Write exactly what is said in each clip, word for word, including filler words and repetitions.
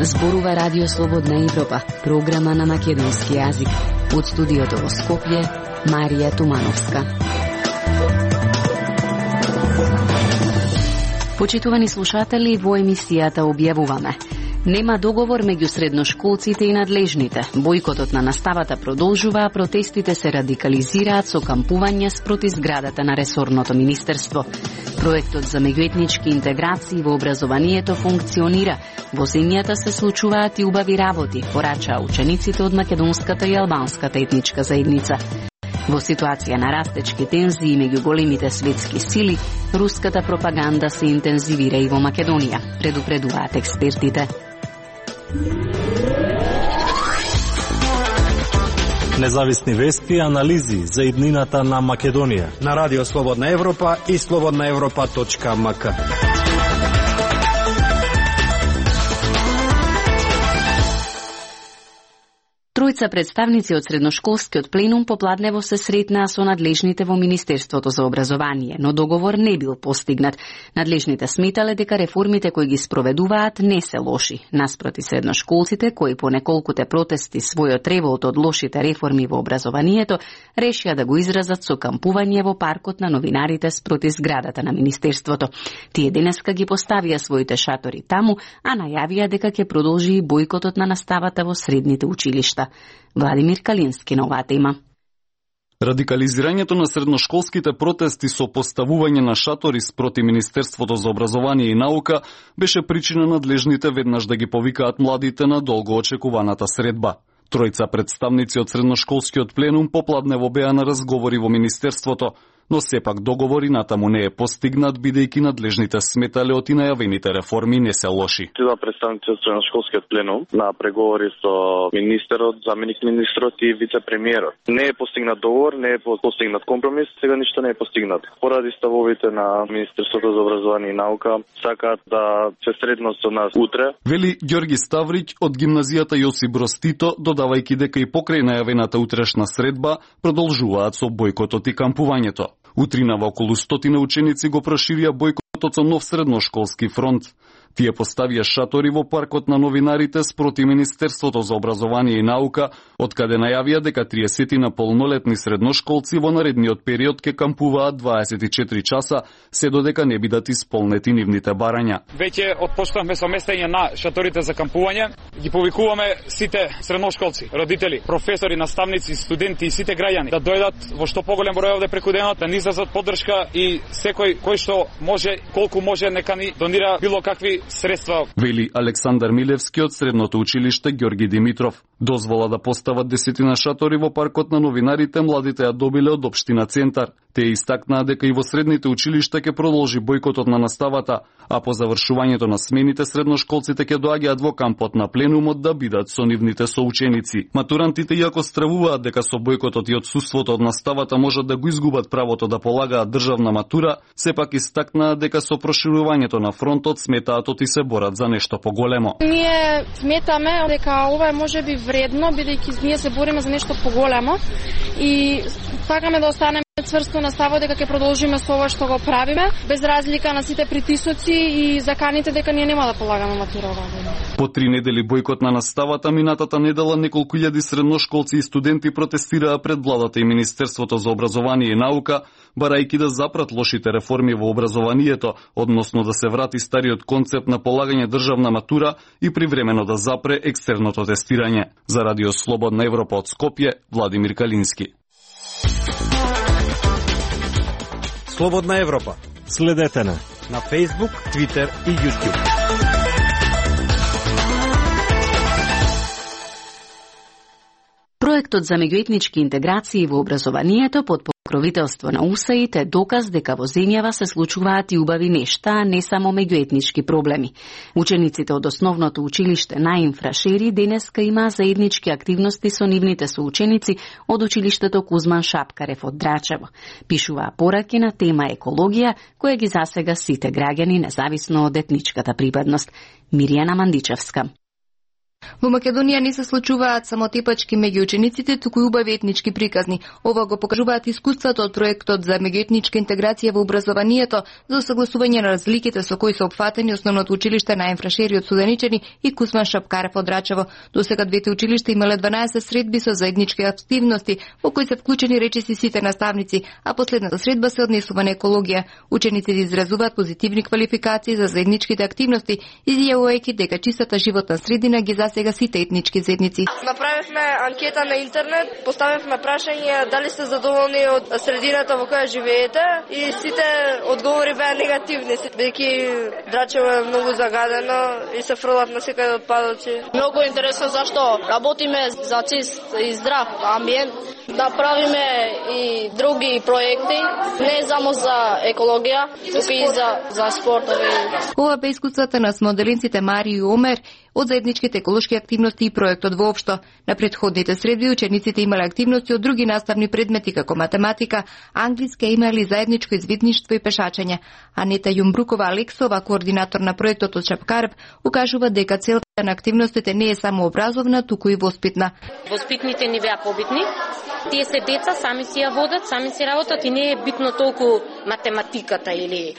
Зборува Радио Слободна Европа, програма на македонски јазик. Од студиото во Скопје, Марија Тумановска. Почитувани слушатели, во емисијата објавуваме: нема договор меѓу средношколците и надлежните. Бојкотот на наставата продолжува, а протестите се радикализираат со кампување спроти зградата на ресорното министерство. Проектот за меѓуетнички интеграции во образованието функционира. Во земјата се случуваат и убави работи, порачаа учениците од македонската и албанската етничка заедница. Во ситуација на растечки тензии меѓу големите светски сили, руската пропаганда се интензивира и во Македонија, предупредуваат експертите. Независни вести и анализи за иднината на Македонија на Радио Слободна Европа и слободна европа точка ем ка. Тројца представници од средношколскиот пленум попладнево се сретнаа со надлежните во Министерството за образование, но договор не бил постигнат. Надлежните сметале дека реформите кои ги спроведуваат не се лоши. Наспроти средношколците, кои по неколкуте протести својот револт од лошите реформи во образованието, решија да го изразат со кампување во паркот на новинарите спроти зградата на Министерството. Тие денеска ги поставија своите шатори таму, а најавија дека ќе продолжи и бојкотот на наставата во средните училишта. Владимир Калински на оваа тема. Радикализирањето на средношколските протести со поставување на шатори спроти Министерството за образование и наука беше причина надлежните веднаш да ги повикаат младите на долго очекуваната средба. Тројца представници од средношколскиот пленум попладнево беа на разговори во Министерството, но сепак договори натаму не е постигнат, бидејќи надлежните сметале од и најавените реформи не се лоши. Тие представници од средношколскиот пленум на преговори со министерот, заменик министрот и вице-премиерот. Не е постигнат договор, не е постигнат компромис, сега ништо не е постигнат. Поради ставовите на Министерството за образование и наука, сакаат да се сретнат со нас утре. Вели Ѓорги Ставрич од гимназијата Јосип Броз Тито, додавајќи дека и покрај најавената утрешна средба продолжуваат со бојкотот и кампувањето. Утринава околу стотина ученици го проширија бојкотот со нов средношколски фронт. Тие поставија шатори во паркот на новинарите спроти Министерството за образование и наука, откаде најавија дека триесет полнолетни средношколци во наредниот период ќе кампуваат дваесет и четири часа, се додека не бидат исполнети нивните барања. Веќе отпочнавме со местење на шаторите за кампување. Ги повикуваме сите средношколци, родители, професори, наставници, студенти и сите граѓани да дојдат во што поголем број овде преку денот, да ни изразат поддршка и секој кој што може, колку може, нека ни донира било какви средства. Вели Александар Милевски од средното училиште Ѓорги Димитров. Дозвола да постават десетина шатори во паркот на новинарите младите ја добиле од општина Центар. Те истакнаа дека и во средните училишта ќе продолжи бојкотот на наставата, а по завршувањето на смените средношколците ќе доаѓаат во кампот на пленумот да бидат со нивните соученици. Матурантите, иако стравуваат дека со бојкотот и отсуството од наставата можат да го изгубат правото да полагаат државна матура, сепак истакнаа дека со проширувањето на фронтот сметаат и се борат за нешто поголемо. Ние сметаме дека ова е можеби вредно, бидејќи ние се бориме за нешто поголемо и сакаме да останеме цврсто на ставот дека ќе продолжиме со ова што го правиме, без разлика на сите притисоци и заканите дека ние нема да полагаме матура оваа година. По три недели бојкот на наставата, минатата недела неколку илјади средношколци и студенти протестираа пред владата и Министерството за образование и наука, барајќи да запрат лошите реформи во образованието, односно да се врати стариот концепт на полагање државна матура и привремено да запре екстерното тестирање. За Радио Слободна Европа од Скопје, Владимир Калински. Слободна Европа. Следете на на Facebook, Twitter и YouTube. Проектот за меѓуетнички интеграции во образованието под покровителство на УСАИД е доказ дека во земјава се случуваат и убави нешта, а не само меѓуетнички проблеми. Учениците од основното училиште Наим Фрашери денеска имаа заеднички активности со нивните соученици од училиштето Кузман Шапкарев од Драчево. Пишуваа пораки на тема екологија, која ги засега сите граѓани независно од етничката припадност. Миријана Мандичевска. Во Македонија не се случуваат само тепачки меѓу учениците, туку и убави етнички приказни. Ова го покажуваат искуството од проектот за меѓуетничка интеграција во образованието за согласување на разликите со кои се опфатени основното училиште на Емфрашери од Студеничани и Кузман Шапкарев од Рачево. Досега двете училишта имале дванаесет средби со заеднички активности во кои се вклучени речиси сите наставници, а последната средба се однесува на екологија. Учениците изразуваат позитивни квалификации за заедничките активности, изјавувајќи дека чистата животна средина ги засега сите етнички заедници. Направивме анкета на интернет, поставивме прашање дали сте задоволни од средината во која живеете и сите одговори беа негативни, бидејќи Драчево е многу загадено и се фрлат на секаде отпадоци. Многу интересно зашто работиме за чист и здрав амбиент, да правиме и други проекти, не само за екологија, туку и за за спортови. Ова бе искуствата на смоделинците Мари и Омер од заедничките еколошки активности и проектот воопшто. На претходните средби учениците имале активности од други наставни предмети како математика, англиска, имали заедничко извидништво и пешачење. Анета Јумбрукова Алексова, координатор на проектот од Шапкарев, укажува дека целта на активностите не е само образовна, туку и воспитна. Воспитните ни беа побитни. Тие се деца, сами си ја водат, сами си работат и не е битно толку математиката или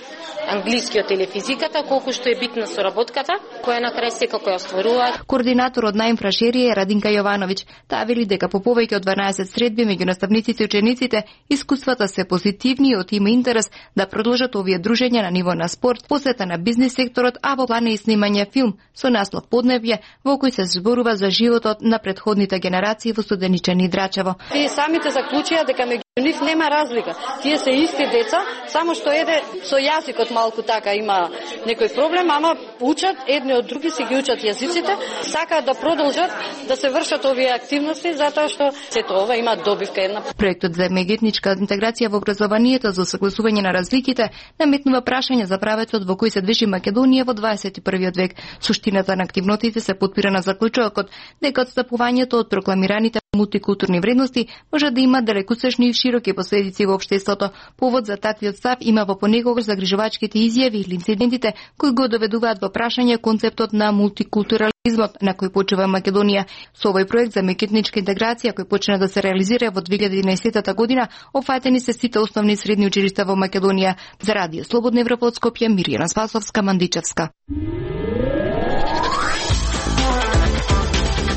англискиот или физиката, колку што е битна соработката, која на крај секако ја остваруваат. Координаторот на Емфрашери е Радинка Јовановиќ. Таа вели дека по повеќе од дванаесет средби меѓу наставниците и учениците, искуствата се позитивни и од има интерес да продолжат овие дружења на ниво на спорт, посета на бизнис секторот, а во плана и снимање филм со наслов Поднебје, во кој се зборува за животот на претходните генерации во Студеничани и Драчево. Тие самите заклучија дека меѓу нив нема разлика. Тие се исти деца, само што еде со јазикот малку така има некој проблем, ама учат едни од други, си ги учат јазиците, сакаат да продолжат да се вршат овие активности затоа што сето ова има добивка една. Проектот за меѓуетничка интеграција во образованието за согласување на разликите наметнува прашање за правецот во кој се движи Македонија во дваесет и првиот век. Суштината на активностите се потпира на заклучокот дека отстапувањето од прокламираните мултикултурни вредности може да има далекосечни и широки последици во општеството. Повод за таквиот став има во понекогаш загрижувачките изјави или инцидентите кои го доведуваат во прашање концептот на мултикултурализмот на кој почива Македонија. Со овој проект за меѓуетничка интеграција кој почна да се реализира во две илјади и единаесета година, опфатени се сите основни средни училишта во Македонија. За Радио Слободна Европа од Скопје, Мирјана Спасовска, Мандичевска.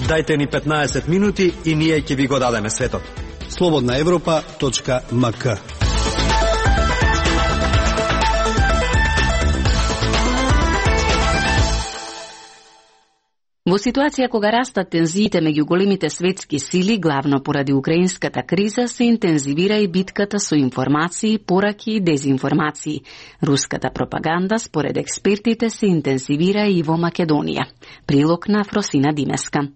Дајте ни петнаесет минути и ние ќе ви го дадеме светот. слободна европа точка ем ка. Во ситуација кога растат тензиите меѓу големите светски сили, главно поради украинската криза, се интензивира и битката со информации, пораки и дезинформации. Руската пропаганда, според експертите, се интензивира и во Македонија. Прилог на Фросина Димеска.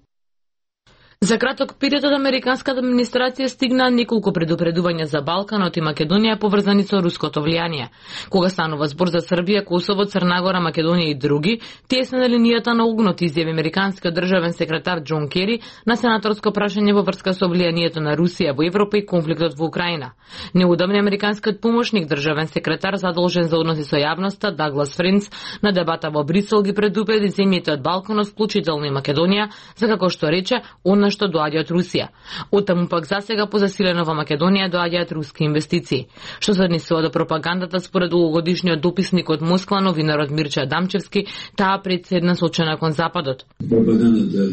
За краток период од американската администрација стигнаа неколку предупредувања за Балканот и Македонија поврзани со руското влијание. Кога станува збор за Србија, Косово, Црна Гора, Македонија и други, тие се на линијата на огнот, изјави американскиот државен секретар Џон Кери на сенаторско прашање во врска со влијанието на Русија во Европа и конфликтот во Украина. Неудобен американскиот помошник државен секретар задолжен за односи со јавноста Даглас Френц на дебата во Брисел ги предупреди земјите од Балканот, вклучително и Македонија, за како што рече, она што доаѓа од Русија. Оттаму пак засега позасилено во Македонија доаѓаат руски инвестиции. Што се однесува до пропагандата, според улогодишниот дописник од Москва, новинарот Мирча Дамчевски, таа председна сочена кон Западот. Пропагандата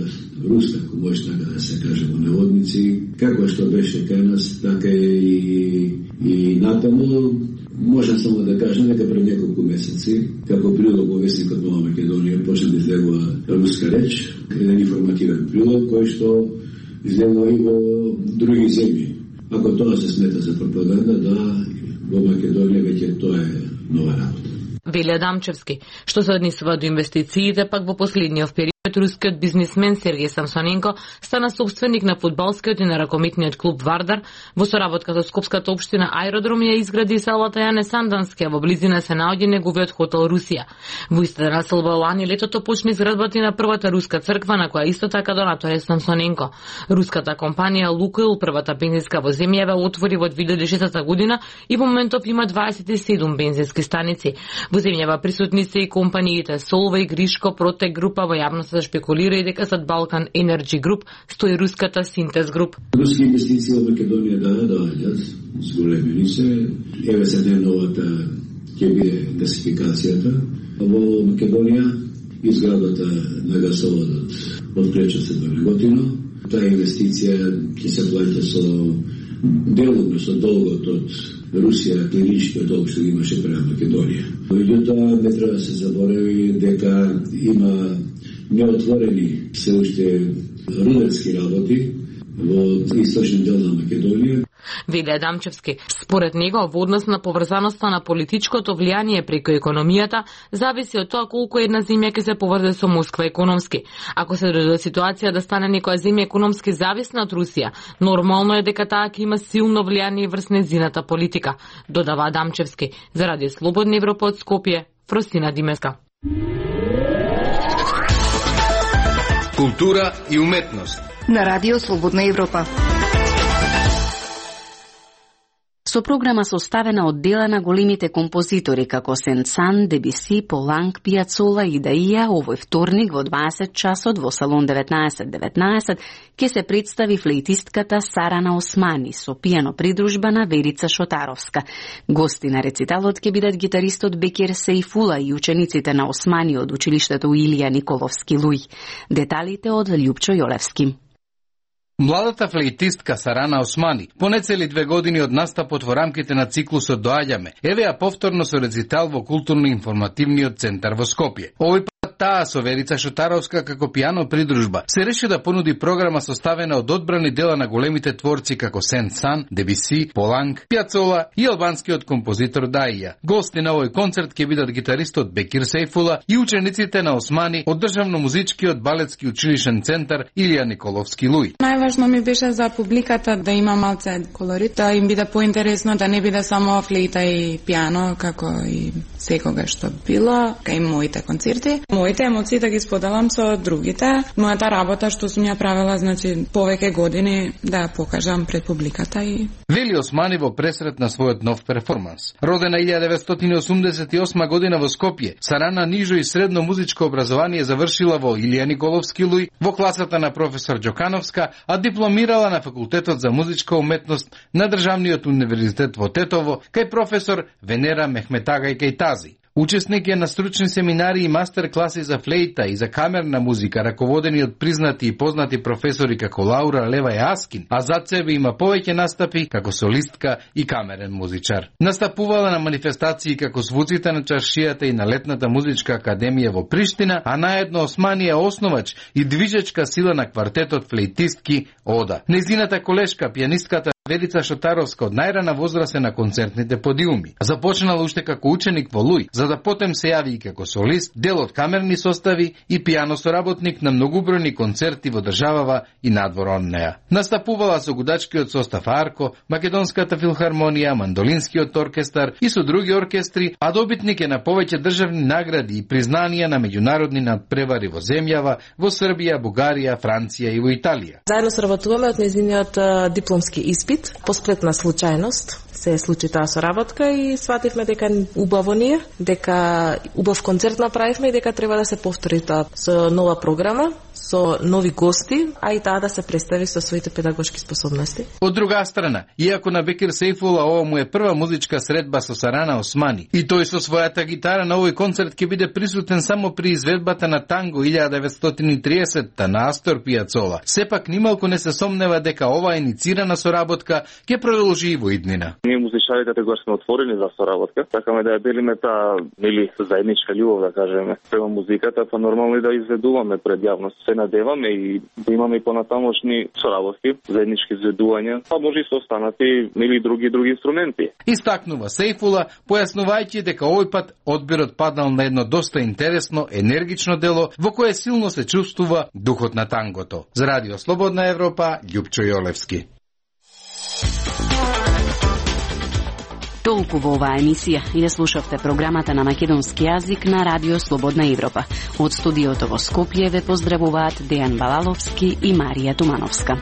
руска, ако може така да се каже во наводници, како што беше кај нас, така и, и натаму, можам само да кажам дека пред неколку месеци, како прилог во вестникот Нова Македонија, почна да излегува руска реч, еден информативен прилог, кој што излегува и во други земји. Ако тоа се смета за пропаганда, да, во Македонија веќе тоа е нова работа. Велја Дамчевски. Што се однесува до инвестициите, пак во последниот период рускиот бизнисмен Сергеј Самсоненко стана собственик на фудбалскиот и на ракометниот клуб Вардар. Во соработка со Скопската општина Аеродром ја изгради селата Јане Сандански, а во близина се наоѓа неговиот хотел Русија. Во истата населба лани летото почна изградбата на првата руска црква, на која исто така донатор е Самсоненко. Руската компанија Лукойл, првата бензинска во земјава, отвори во две илјади и шеста година и во моментов има дваесет и седум бензински станици. Во земјава присутни се и компаниите Солвеј, Гришко, Протек група, во јавноста шпекулира и дека зад Балкан Energy Group стои руската Синтез Груп. Руски инвестиции во Македонија да доаѓаат, зголемени се. Еве се најновата ќе биде гасификацијата во Македонија, изградата на гасоводот од Кречевци до Неготино. Таа инвестиција ќе се плаќа со деловно со долгот од Русија, клиничкиот долг што имаше према Македонија. Меѓутоа не треба да се заборави дека има неотворени се уште рудерски работи во источен дел на Македонија. Веле Адамчевски, според него, во однос на поврзаноста на политичкото влијание преку економијата, зависи од тоа колку една земја ќе се поврзе со Москва економски. Ако се дојде до ситуација да стане некоја земја економски зависна од Русија, нормално е дека таа ќе има силно влијание врз нејзината политика, додава Адамчевски. За Радио Слободна Европа од Скопје, Фростина Димеска. Култура и уметност на Радио Слободна Европа. Со програма составена од дела на големите композитори како Сен-Сан, Дебиси, Поланк, Пијацола и Даија, овој вторник во дваесет часот во салон деветнаесет деветнаесет ќе се представи флейтистката Сарана Османи со пијано придружба на Верица Шотаровска. Гости на рециталот ќе бидат гитаристот Бекир Сейфула и учениците на Османи од училиштето Илија Николовски Луј. Деталите од Љупчо Јолевски. Младата флейтистка Сарана Османи, понецели две години од настапот во рамките на циклусот Доаѓаме, еве ја повторно со рецитал во културно-информативниот центар во Скопје. Овој пат таа со Верица Шотаровска како пијано придружба се реши да понуди програма составена од одбрани дела на големите творци како Сен-Сан, Дебиси, Поланк, Пијацола и албанскиот композитор Даија. Гости на овој концерт ќе бидат гитаристот Бекир Сейфула и учениците на Османи од државно-музичкиот балетски училишен центар Илија Николовски Луј. Најважно ми беше за публиката да има малце колорит, да им биде поинтересно, да не биде само флейта и пијано, како и секогаш што било, кај моите концерти. Моите емоции да ги споделам со другите. Мојата работа што сум ја правила, значи, повеќе години да ја покажам пред публиката и... Вели Османи во пресрет на својот нов перформанс. Родена илјадесетстотини деветстотини осумдесет и осма година во Скопје, Сарана нижо и средно музичко образование завршила во Илија Николовски Луј, во класата на професор Џокановска, а дипломирала на факултетот за музичка уметност на Државниот универзитет во Тетово, кај професор Венера Мехметагај Кејтази. Учесник е на стручни семинари и мастер-класи за флейта и за камерна музика, раководени од признати и познати професори како Лаура Левај Аскин, а зад себе има повеќе настапи како солистка и камерен музичар. Настапувала на манифестации како Звуците на чаршијата и на Летната музичка академија во Приштина, а наедно Османи е основач и движечка сила на квартетот флейтистки Ода. Незината колешка, пијанистката Верица Шотаровска од најрана возраст е на концертните подиуми. Започнала уште како ученик во Луј, за да потем се јави и како солист, дел од камерни состави и пијано соработник на многубројни концерти во државава и надвор од неа. Настапувала со гудачкиот состав Арко, Македонската филхармонија, Мандолинскиот оркестар и со други оркестри, а добитник е на повеќе државни награди и признанија на меѓународни надпревари во земјава, во Србија, Бугарија, Франција и во Италија. Заедно сработуваме од нејзиниот дипломски испит. По сплетна случајност се случи таа соработка и свативме дека убаво ние, дека убав концерт направивме и дека треба да се повтори тоа со нова програма, со нови гости, а и таа да се представи со своите педагошки способности. Од друга страна, иако на Бекир Сейфула ова му е прва музичка средба со Сарана Османи, и тој со својата гитара на овој концерт ќе биде присутен само при изведбата на танго илјада деветстотини и тридесетта на Астор Пијацола. Сепак нималку не се сомнева дека оваа иницирана соработка ќе продолжи и во иднина. Ние музичарите тогаш сме отворени за соработка, сакаме да ја делиме таа или заедничка љубов, да кажеме, према музиката, па нормално и да изведуваме пред јавност. Се надеваме и да имаме и понатамошни соработки, заеднички изведувања, па може и со останати или други други инструменти. Истакнува Сейфула, појаснувајќи дека овој пат одбирот паднал на едно доста интересно, енергично дело во кое силно се чувствува духот на тангото. За Радио Слободна Европа, Љупчо Јолевски. Толку во оваа емисија и ја слушавте програмата на македонски јазик на Радио Слободна Европа. Од студиото во Скопје ве поздравуваат Дејан Балаловски и Марија Тумановска.